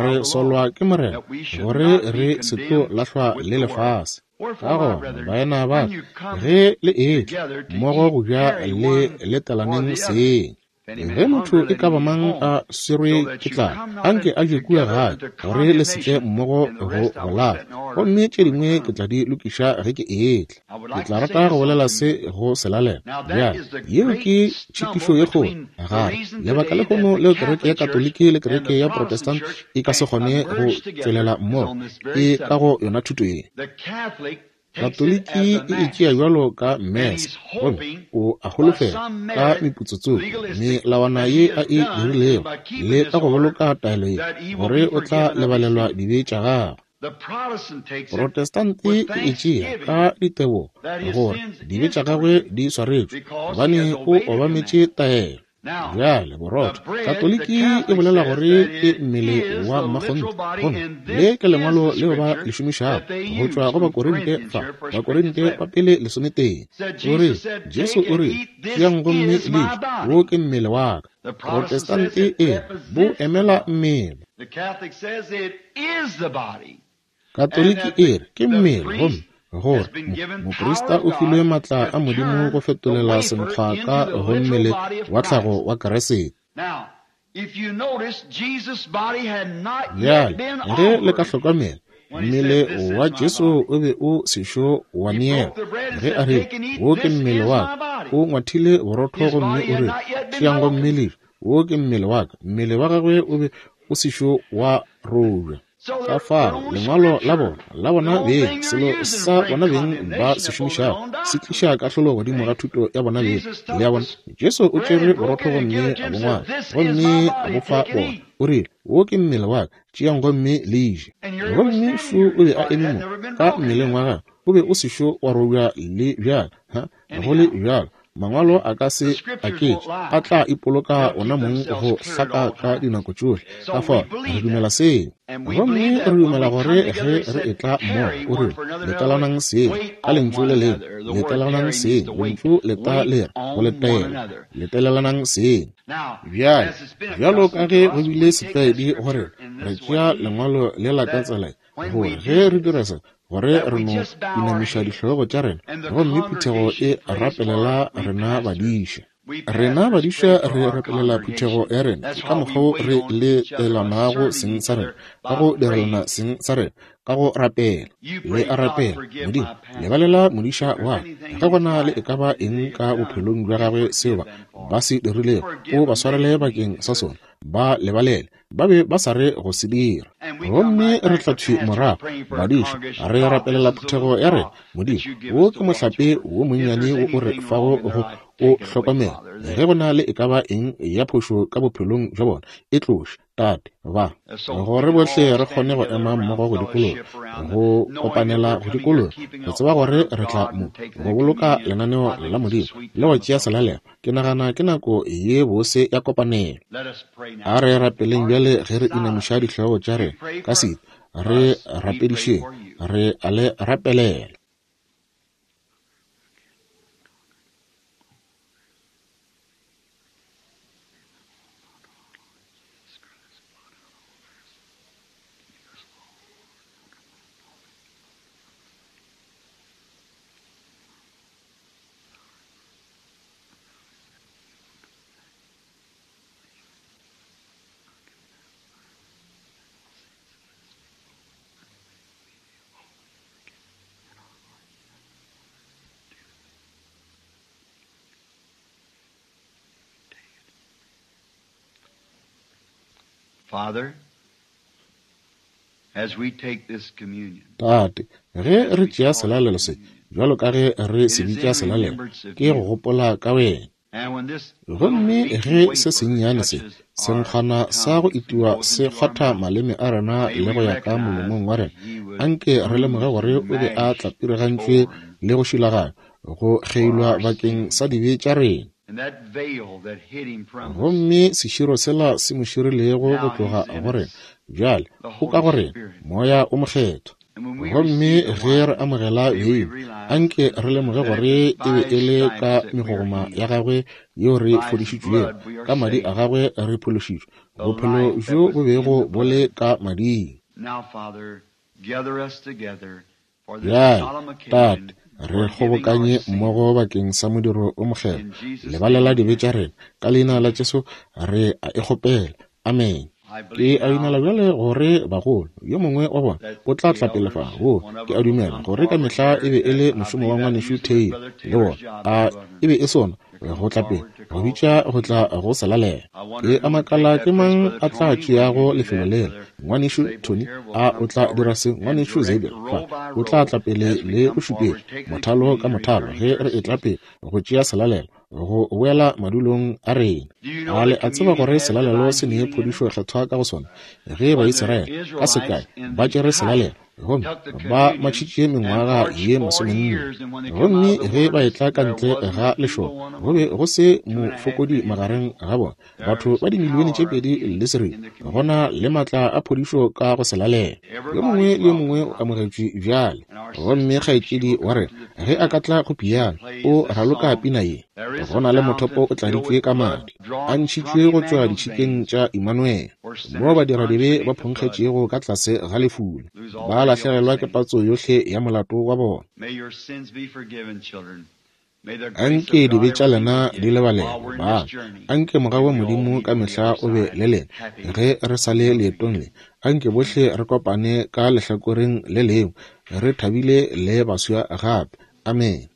re solwa ke Morena, gore re se tlo lahlwa le lefase. Ka gona, baena ba ka, ge le etla mmogo go ja le letelaneng seng. Ge motho e ka ba mang a swerwe ke tlala, anke a je kua gae, gore le se tle mmogo go go lapa. Gomme tše dingwe ke tla di lokiša ge ke etla. Ke tla rata go bolela se go selalela. Bjale, yeo ke tšhitišo ye kgolo gare. Lebaka lehono leo kereke ya Katoliki le kereke ya Protestant e ka se kgone go tšwelela mmogo, e ka go yona thuto ye. Katoliki e itšea bjalo ka mesa, gomme o a holofela ka meputsotsoko melawana ye a e dirilego le ka go boloka taelo ye, gore o tla lebalelwa dibe tša gagwe. Protestante e itšea ka ditebogo gore dibe tša gagwe di swaretšwe, gobane o obametše taelo. Bjale borotho, Katoliki e bolela gore ke mmele wa mmakgonthe, gomme le ke lengwalo leo ba le šomišago go tšwa go Bakorinte fa, Bakorinte ba pele lesometee. O re, Jesu o re, tšeang gomme le je, wo ke mmele wa ka. Protestante e bo emela mmele. The Catholic says it is the body. Katoliki e re ke mmele, gomme gore moprista o filwe maatla a Modimo go fetolela senkgwa ka go mmele wa tlhago wa Kriste. Bjale, ge le ka hlokomela, mmele wa Jesu o be o sešo wa neelwa. Ge a rile, wo ke mmele wa ka, o ngwathile borotho gomme o rile, tšeang gomme le je, wo ke mmele wa ka. Mmele wa gagwe o be o sešo wa robja. Ka fao lengwalo la bona la bona beng, selo sa bona beng ba se šomišago, se tliša kahlolo godimo ga thuto ya bona beng. Le a bona, Jesu o tšere borotho gomme a bo ngwala, gomme a bo fa bona. O rile, wo ke mmele wa ka, tšeang gomme le je. Gomme šo o be a eme mo ka mmeleng wa gagwe, o be o sešo wa robja le bjalo. Ha go le bjalo, mangwalo a ka se aketše, a tla ipoloka ona mong go hlaka ka dinako tšohle. Ka fao re dumela seo, gomme re dumela gore ge re etla mmogo, o rile, letelanang seng ka lentšu le lengwe, letelanang seng, lentšu leta le re go letela, letelelanang seng. Bjale, bjalo ka ge go bile setlwaedi gore re tšea lengwalo le la ka tsela, gore ge re dira se, gore re no inamiša dihlogo tša rena, gomme phuthego e rapelela rena badiša. Rena badiša re rapelela phuthego ya rena, ke ka mokgwa re letelanago seng sa rena, ka go direlana seng sa rena, ka go rapela. Le a rapela, Modimo, lebalela modiša wa ka, ge gona le e ka ba eng ka bophelong bja gagwe seo ba ba se dirilego, o ba swarele bakeng sa sona, ba lebalele. Ba be ba sa re go se dira. Gomme re tla thwi morago, badiša, re rapelela phuthego ya rena. Modimo, wo ke mohlape wo monnyane wo o re fago go o hlokomela. Ge go na le e ka ba eng ya phošo ka bophelong bja bona, e tloše, Tate, ba gore bohle re kgone go ema mmogo go dikologa, go kopanela go dikologa, go tseba gore re tla mo go boloka lenaneo la Modimo le go tšea selalelo. Ke nagana ke nako ye bose ya kopanelo. A re rapeleng bjale ge re inamiša dihlogo tša rena ka setu, re rapedišeng, re a le rapelela. Father, as we take this communion, Tate, ge re tšea selalelo se, bjalo ka ge re se bitša selalelo, ke go gopola ka wena. Gomme ge se sennyane se, senkgwana sa go itiwa se kgwatha maleme a rena le go ya ka molomong wa rena, anke re lemoge gore o be a tlapirigantšwe le go šilaganywa, go kgeilwa bakeng sa dibe tša rena. Gomme seširo sela se mo širilego go tloga go rena, bjale o ka go rena, Moya o Mokgethwa. Gomme ge re amogela beine, anke re lemoge gore e be e le ka megogoma ya gagwe yeo re fodišitšwego, ka madi a gagwe re phološitšwe, bophelo bjo bo bego bo le ka mading. Bjale, Tate, re kgobokanye mmogo bakeng sa modiro o mokgethwa. Lebalela dibe tša rena, ka leina la Jesu re a e kgopela. Amen. Ke a dumela bjale gore bagolo, yo mongwe wa bona o tla tla pele fa. Wo, ke a dumela gore ka mehla e be e le mošomo wa ngwanešu Taylor le bona. A e be e sona go tla pele, go bitša go tla go selalela. Ke a makala ke mang a tla tšeago lefelo lela. Ngwanešu Tony, a o tla dira se? Ngwanešu Xavier fa, o tla tla pele le go šupetša mothalo ka mothalo ge re etla pele go tšea selalelo, go boela madulong a rena. A le a tseba gore selalelo se ne phodišo kgethwa ka go sona? Ge Baisraele ka sekai ba tšere selalelo gomme ba matšhitše mengwaga ye masomenne, gomme ge ba etla ka ntle ga lešoka, go be go se mofokodi magareng ga bona, batho ba dimilione tše pedi le seripa. Gona le matla a phodišo ka go selalela. Yo mongwe le yo mongwe o amogetšwe bjale. Gomme kgaetšedi wa rena ge a ka tla go piano, o raloka pina ye. Go na le mothopo o tladitšwe ka madi, a ntšhitšwe go tšwa ditšhikeng tša Immanuel, moo badiradibe ba phonkgetšego ka tlase ga lefula, ba lahlegelwa ke patso yohle ya molato wa bona. Anke dibe tša lena di lebalelwe, bana. Anke mogau wa Modimo ka mehla o be le lena ge re sa le leetong le. Anke bohle re kopane ka lehlakoreng le lengwe, re thabile le baswa gape. Amen.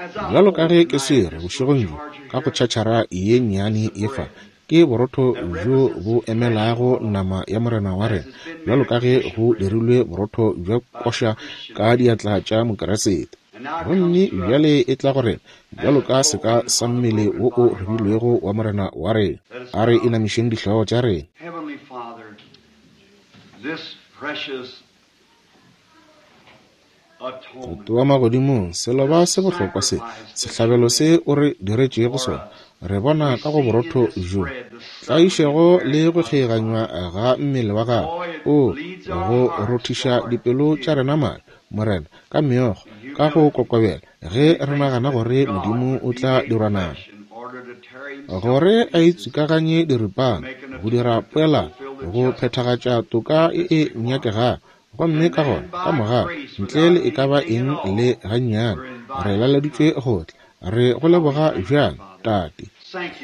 Bjalo ka ge ke swere bošegong bjo ka go tšhatšhara ye nnyane ye fa, ke borotho bjo bo emelago nama ya Morena wa rena, bjalo ka ge go dirilwe borotho bja koša ka diatla tša Mokeresete. Gomme bjale e tla go rena bjalo ka seka sa mmele wo o robilwego wa Morena wa rena. A re inamišeng dihlogo tša rena. Heavenly Father, this precious Tate wa magodimong, seloba se bohlokwa se, sehlabelo se o re diretšego sona, re bona ka go borotho bjo, tlaišego le go kgeiganywa ga mmele wa gago, o go rothiša dipelo tša rena madi, Morena, ka meokgo, ka go kokobela, ge re nagana gore Modimo o tla dirwa nama, gore a itswikaganye diripana, go dira poelano, go phethagatša toka e e nyakegago. Gomme ka gona, ka morago, ntle le e ka ba eng le gannyane, re laleditšwe go tla. Re go leboga bjang, Tate.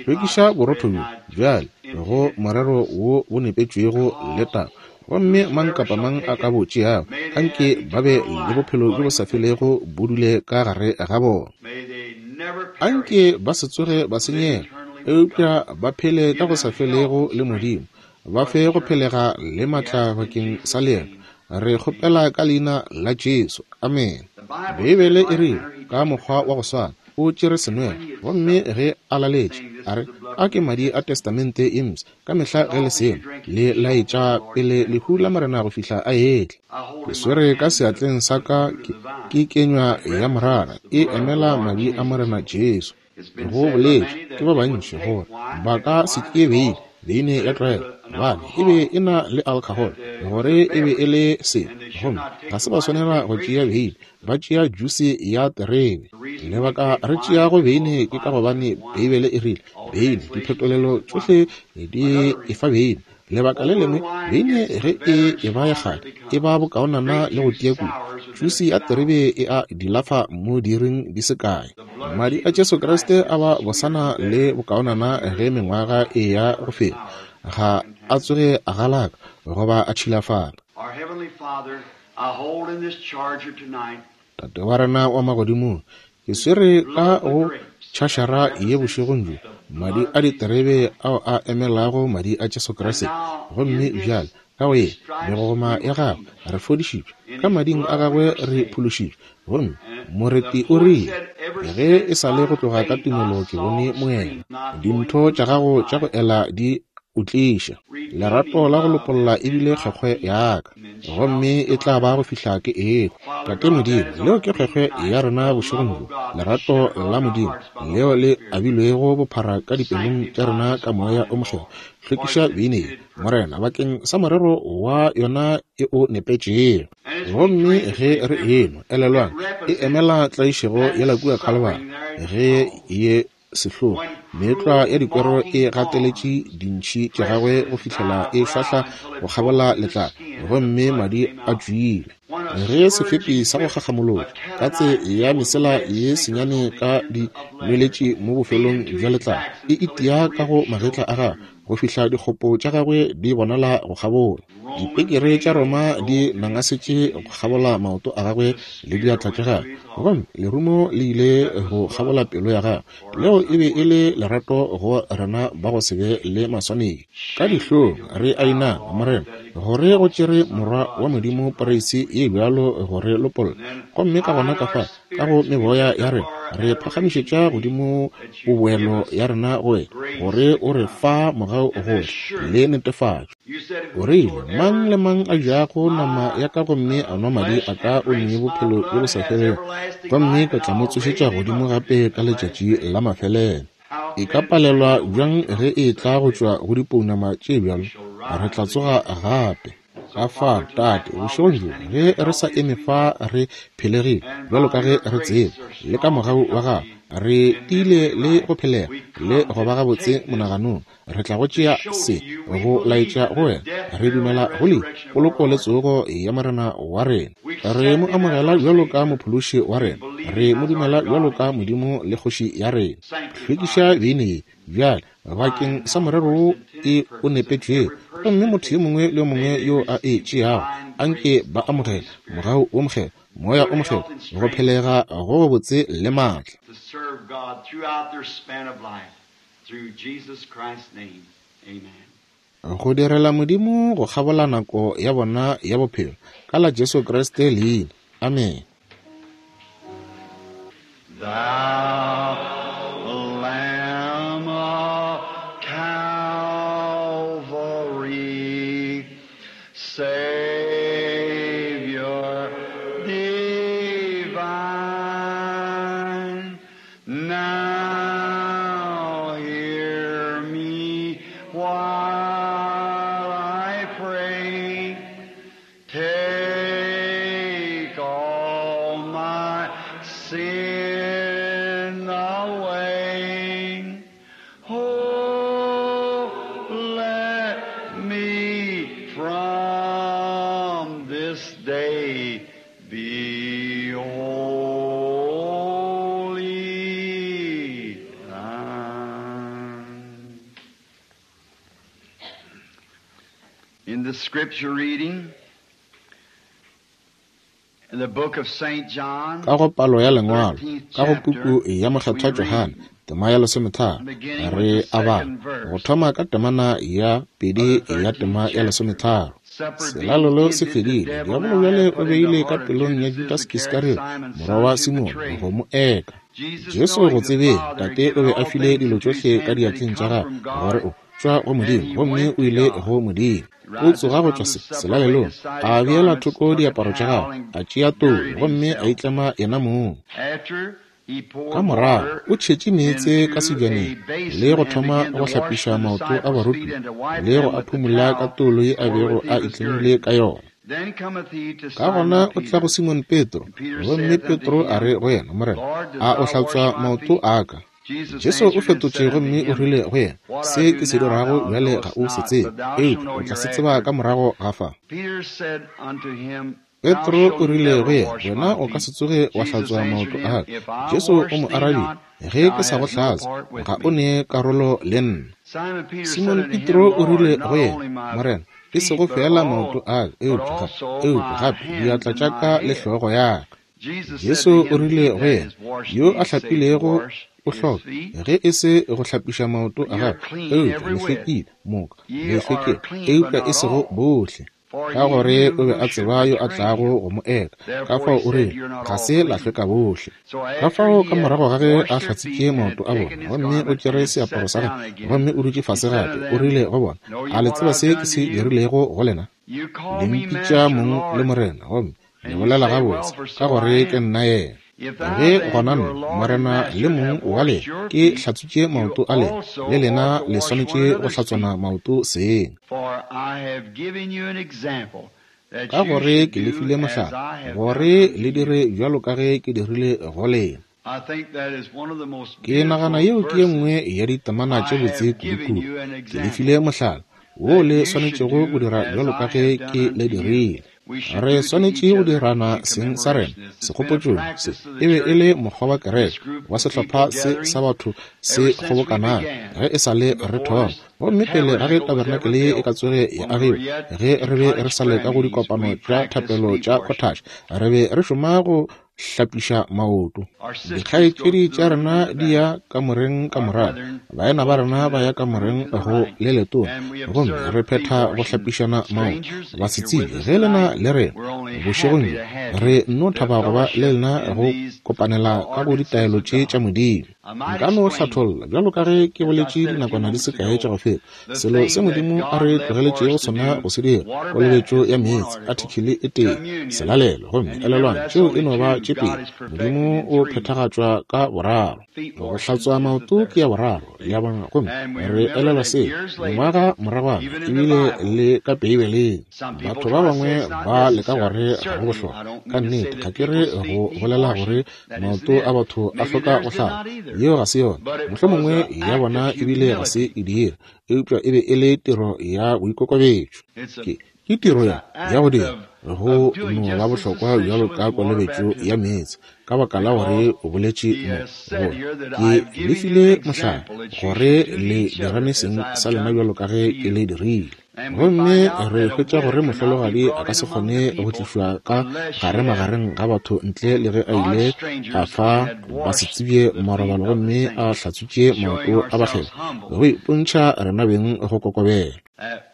Hlwekiša borotho bjo bjale go morero wo bo nepetšwego le taba. Gomme mang kapa mang a ka bo tšeago, anke ba be le bophelo bjo bo sa felego bo dule ka gare ga bona. Anke ba se tsoge ba senyega, eupša ba phele ka go sa felego le Modimo, ba fe go phelega le matla bakeng sa leeto. Re kgopela ka leina la Jesu. Amen. Beibele e rile ka mokgwa wa go swana, o tšere senwelo, gomme ge a laletše, a re, a ke madi a testamente ye mpsha, ka mehla ge le seno le laetša pele lehu la Morena go fihla a etla. Ke swere ka seatleng sa ka ke, ke kenywa ya morara, e emela madi a Morena Jesu. Go boletšwe ke ba bantši gore ba ka se tšee beine, beine ya tlwaelo, gobane e be e na le alcohol, gore e be e le sebe, gomme ga se ba swanela go tšea beine, ba tšea jusi ya terebe. Lebaka re tšeago beine ke ka gobane Beibele e rile beine, diphetolelo tšohle di e fa beine. Lebaka le lengwe, beine ge e e ba ya kgale e ba bokaonana le go tia kudu. Jusi ya terebe e a dilafa mo diiring di se kae. Madi a Jesu Kriste a ba bosana le bokaonana ge mengwaga e ya go feta, ga a tsoge a galaka goba a tšhilafala. Our Heavenly Father, I hold in this charger tonight Tate wa rena wa magodimong, ke swere ka go tšhašara ye bošegong bjo madi a diterebe ao a emelago madi a Jesu Kriste. Gomme bjale ka go ye megogoma ya gagwe re fodišitšwe, ka mading a gagwe re phološitšwe. Gomme moreti o rile, ge e sa le go tloga ka tumelo ke bone moela, dintho tša gago tša go ela di o tliša lerato la go lopolla ebile kgwekgwe ya ka, gomme e tla ba go fihla ke ehwa. Tate Modimo, leo ke kgwekgwe ya rena bošegong bjo, lerato la Modimo leo le abilwego bophara ka dipelong tša rena ka Moya o Mokgethwa. Hlwekiša beine ye, Morena, bakeng sa morero wa yona e o nepetšego. Gomme ge re enwa, elelwang, e emela tlaišego yela kua Kalvari, ge ye sehlogo meetlwa ya dikwero e gateletše dintšhi tša gagwe go fihlela e šwahla go kgabola letlalo, gomme madi a tšwile. Ge sefepi sa go gakgamolotša katse ya mesela ye senyane ka di nweletše mo bofelong bja letlalo, e itia ka go magetla a gagwe go fihla dikgopo tša gagwe di bonala go kgabola. Dipekere tša Roma di nangasetše go kgabola maoto a gagwe le diatla tša gagwe, gomme lerumo le ile go kgabola pelo ya gagwe. Leo e be e le lerato go rena ba go se be le maswanedi. Ka dihlong re a inama, Morena, gore go tšere Morwa wa Modimo poreisi ye bjalo go re lopolla. Gomme ka gona ka fa, ka go meboya ya rena, re phagamišetša godimo boboelo ya rena go wena, gore o re fa mogau gohle le netefatšo. O rile, mang le mang a jago nama ya ka gomme a nwa madi a ka o ne bophelo bjo bo sa felego, gomme ke tla mo tsošetša godimo gape ka letšatši la mafelelo. E ka palelwa bjang ge e tla go tšwa go dipounama tše bjalo? Re tla tsoga gape. Ka fa, Tate, bošegong bjo, ge re sa eme fa re phelegile bjalo ka ge re tseba, le ka mogau wa gago re tiile le go phelega le go ba gabotse monaganong, re tla go tšea se go laetša go wena re dumela go le poloko le tsogo ya Morena wa rena. Re mo amogela bjalo ka mophološi wa rena, re mo dumela bjalo ka Modimo le kgoši ya rena. Hlwekiša beine ye bjale bakeng sa morero wo e o nepetšwego, gomme motho yo mongwe le yo mongwe yo a e tšeago anke ba amogele mogau wo mokgethwa, moya o mokgethwa, go phelega go botse le maatla. Go direla Modimo go kgabola nako ya bona ya bophelo, ka la Jesu Kriste leina. Amen. Thou Lamb of Calvary, Savior divine, now hear me while I pray. Take all my sin away. Oh, let me from this day be wholly thine. In the scripture reading, in the book of Saint John, Ka go palo ya lengwalo, ka go puku ya Mokgethwa Johane, tema ya lesometharo, re a bala go thoma ka temana ya pedi ya tema ya lesometharo. Selalelo se fedile, diabolo bjale o beile ka pelong ya Judas Iskariot, morwa wa Simone, go mo eka. Jesu go tsebeng, Tate o be a file dilo tšohle ka diatleng tša gagwe, gore o tšwa go Modimo, gomme o ile go Modimo. O tsoga go tšwa selalelong, a beela thoko diaparo tša gagwe, a tšea toulo gomme a itlema yena mong. Ka morago o tšhetše meetse ka sebjaneng le go thoma go hlapiša maoto a barutiwa le go a phumola ka toulo ye a bego a itlemile ka yona. Ka gona o tla go Simon Petro, gomme Petro a re go yena, Morena, a o hlatswa maoto a ka? Jesu o fetotše gomme o rile go yena, se ke se dirago bjale ga o se tsebe, eupša o tla se tseba ka morago ga fa. Petro o rile go yena, wena o ka se tsoge wa hlatswa maoto a ka. Jesu o mo arabile, ge ke sa go hlatswa, ga o ne karolo le nna. Simon Petro o rile go yena, Morena, e sego fela maoto a ka, eupša eupša gape diatla tša ka le hlogo ya ka. Jesu o rile go yena, yo a hlapilego o hloka ge e se go hlapiša maoto a gagwe, eupša le hlwekile moka, le hlwekile, eupša e sego bohle. Ka gore o be a tseba yo a tlago go mo eka, ka fao o rile, ga se la hlweka bohle. Ka fao ka morago ga ge a hlatsitše maoto a bona, gomme o tšere seaparo sa gagwe, gomme o dutše fase gape, o rile go bona, a le tseba se ke se dirilego go lena? Le mpitša mong le Morena, gomme le bolela gabotse, ka gore ke nna yena. Ge gona nna, Morena le mong wa lena, ke hlatswitše maoto a lena, le lena le swanetše go hlatswana maoto seng. Ka gore ke le file mohlala, gore le dire bjalo ka ge ke dirile go lena. Ke nagana yeo ke ye nngwe ya ditemana tše botse kudu-kudu. Ke le file mohlala wo le swanetšego go dira bjalo ka ge ke le dirile. Re swanetše go dirana seng sa rena segopotšong se. E be e le mokgwa wa kereke wa sehlopha se sa batho se kgobokanago ge e sa le re thoma. Gomme pele ga ge tabernakele ye e ka tsoge ya agiwa, ge re be re sa le ka go dikopano tša thapelo tša cottage, re be re šoma go hlapiša maoto. Dikgaetšedi tša rena di ya kamoreng ka morago, baena ba rena ba ya kamoreng go le letona, gomme re phetha go hlapišana maoto. Basetsebje ge lena le rena bošegong bjo, re nno thaba go ba le lena go kopanela ka go ditaelo tše tša Modimo. Nka no hlatholla bjalo ka ge ke boletše dinakwana di se kae tša go feta, selo se Modimo a re tlogeletšego sona go se dira, kolobetšo ya meetse, artikele e tee, selalelo, gomme elelwang tšeo e no ba tše pedi. Modimo o phethagatšwa ka boraro. Go hlatswa maoto ke ya boraro, le a bona, gomme re elelwa se mengwaga moragwana, ebile le ka Beibeleng. Batho ba bangwe ba leka gore ga go bohlokwa. Ka nnete ga ke re go bolela gore maoto a batho a hloka go hlapa, yeo ga se yona. Mohlomongwe ya bona ebile ga se e dira, eupša e be e le tiro ya boikokobetšo. Ke ke tiro ya ya go dira go no ba bohlokwa bjalo ka kolobetšo ya meetse, ka baka la gore o boletše mo gore ke le file mohlala gore le dirane seng sa lena bjalo ka ge ke le dirile. Gomme re hwetša gore mohlologadi a ka se kgone go tlišwa ka gare magareng ga batho ntle le ge a ile a fa basetsebje marobalo gomme a hlatswitše maoto a bakgethwa, go ipontšha rena beng go kokobela.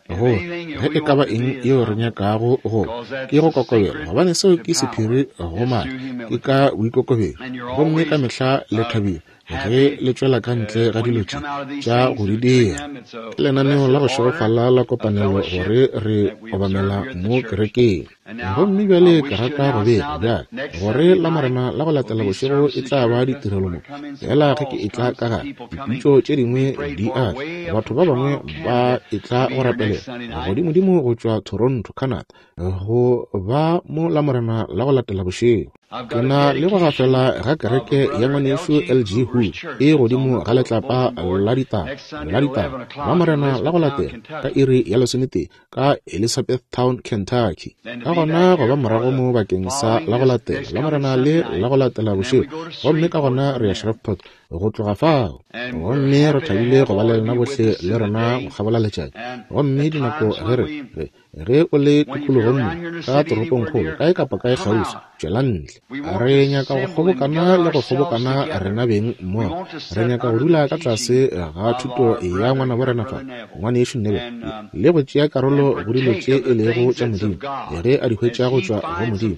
Go ge e ka ba eng yeo re nyakago go ke go kokobela, gobane seo ke sephiri go maatla, ke ka boikokobetšo. Gomme ka mehla le thabile ge le tšwela ka ntle ga dilo tše tša go di dira. Ke lenaneo la go šegofala la kopanelo gore re obamela mo kerekeng. Gomme bjale ke rata go bega bjale gore la Morena la go latela bošego e tla ba ditirelo mo. Fela ge ke etla ka gare, dipitšo tše dingwe di a tla. Batho ba bangwe ba etla go rapelela godimodimo go tšwa Toronto, Canada, go ba mo la Morena la go latela bošego. Ke na le go gafela ga kereke ya ngwanešu L G Hu e godimo ga letlapa la ditaba la ditaba la Morena la go latela ka iri ya lesometee ka Elizabethtown, Kentucky. Ka gona go ba morago mo bakeng sa la go latela la Morena le la go latela bošego, gomme ka gona re ya Shreveport go tloga fao. Gomme re thabile go ba le lena bohle le rena go kgabola letšatši. Gomme dinako ge re ge ge o le tikologong mo ka toropongkgolo kae kapa kae kgauswi, tšwela ntle. Re nyaka go kgobokana le go kgobokana rena beng mmogo. Re nyaka go dula ka tlase ga thuto ya ngwanabo rena fa, ngwanešu Neville, le go tšea karolo go dilo tše e lego tša Modimo. Ge a di hwetša go tšwa go Modimo,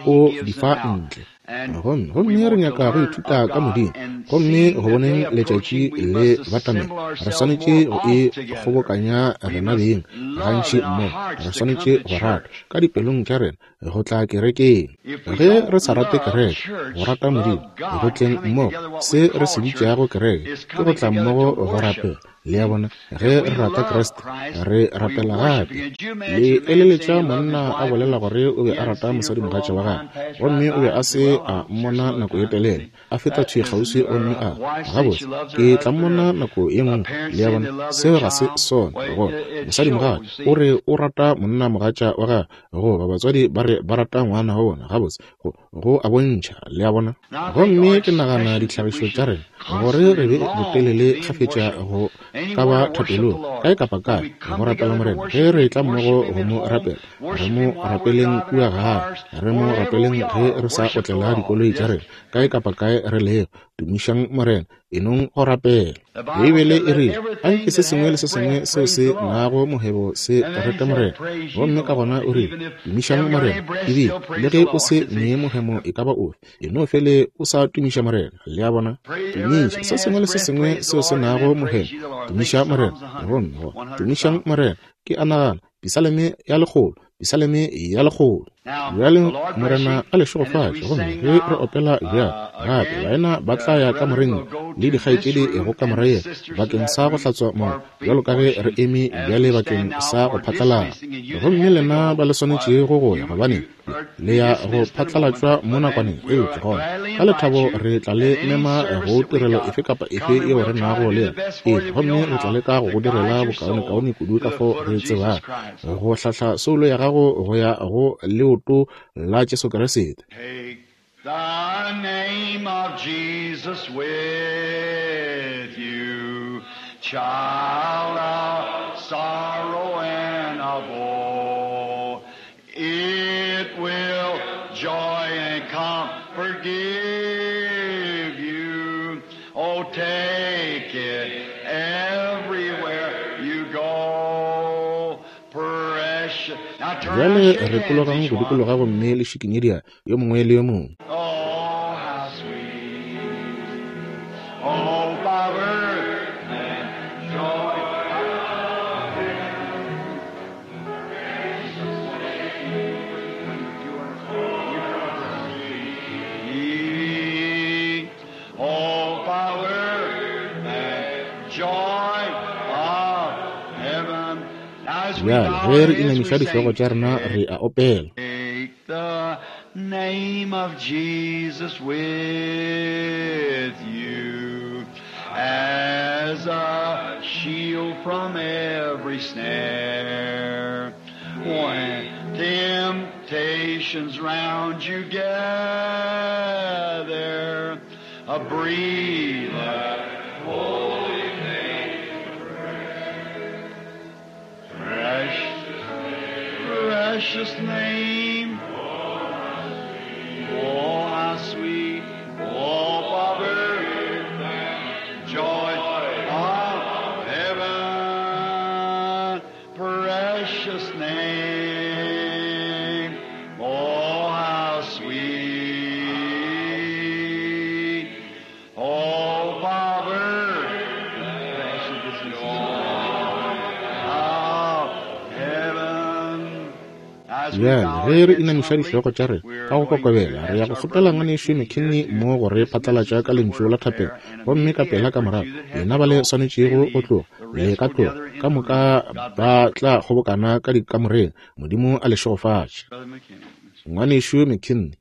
o di fa ntle. Gomme gomme re nyaka go ithuta ka Modimo, gomme go boneng letšatši le batamela, re swanetše go e kgobokanya rena beng gantši mmogo. Re swanetše go rata ka dipelong tša rena go tla kerekeng. Ge re sa rate kereke, go rata Modimo, go tleng mmogo, se re se bitšago kereke ke go tla mmogo go rapela. Le a bona, ge re rata Kriste, re rapela gape. Le eleletša monna a bolela gore o be a rata mosadimogatša wa gagwe, gomme o be a se a mmona nako ye telele, a feta thwi kgauswi gomme a gabotse ke tla mmona nako ye nngwe. Le a bona, seo ga se sona. Gore mosadimogatša o re o rata monnamogatša wa gagwe, goba batswadi ba re ba rata ngwana wa bona, gabotse go go a bontšha. Le a bona. Gomme ke nagana ditlhagišo tša rena gore re be botelele kgafetša go ka ba thapelong kae kapa kae go rapela Morena. Ge re tla mmogo go mo rapela, re mo rapeleng kua gae, re mo rapeleng ge re sa otlela dikoloi tša rena, kae kapa kae re lego. Tumišang Morena, enong go rapela. Beibele e rile, anke se sengwe le se sengwe seo se nago mohebo se rete Morena. Gomme ka gona o rile, tumišang Morena. Ebile le ge o se nee mohemo e ka ba ofe, eno fele o sa tumiša Morena. Le a bona, tumiša se sengwe le se sengwe seo se nago mohemo, tumiša Morena. Gomme go tumišang Morena ke a nagana Pisaleme ya lekgolo, Pisaleme ya lekgolo. Bjale Morena a le šegofatše. Gomme ge re opela bjale gape, baena ba tla ya kamoreng le dikgaetšedi go kamora ye bakeng sa go hlatswa moya, bjalo ka ge re eme bjale bakeng sa go phatlalala. Gomme lena ba le swanetšego go ya, gobane Le ya go phatlalatšwa mo nakwaneng, eupša gona ka lethabo re tla le mema go tirelo efe kapa efe yeo re nago le yona. Ee, gomme re tla leka go go direla bokaonekaone kudu ka fao re tsebago, go hlahla soulo ya gago go ya go leoto la Jesu Kriste. Take the name of Jesus with you, child of sorrow and of woe. It will joy and comfort give you. Oh, take it everywhere you go. Precious. Now turn Bjale and shake re hands tologang each go one. dikologa gomme le šikinye diatla yo mongwe le yo mongwe. Oh, how sweet. Oh, power and joy. Oh, power and joy of heaven. Now as we Bjale bow ge our re heads, we inamiša dihlogo sing. tša rena re a opela. Take the name of Jesus with you as a shield from every snare. When temptations round you gather, a breathe that holy name. Precious, precious name. Oh, how sweet, oh, power, joy of heaven, precious name. Oh, how sweet, oh, power, joy of heaven. As we Bjale bow our ge re heads inamiša humbly, dihlogo tša rena we're ka go going to kokobela, re ya ask go our kgopela brother ngwanešu McKinney here McKinney to mo go re dismiss us phatlalatša with ka a word lentšu of la prayer thapelo. and Gomme ka immediately pela ka afterwards morago, you that have lena to ba le go, may swanetšego go leave. tloga, The le rest ka will tloga. gather in Ka the moka room. God ba bless you. tla kgobokana ka dikamoreng. Modimo a le šegofatše. Brother McKinney. Ngwanešu McKinney.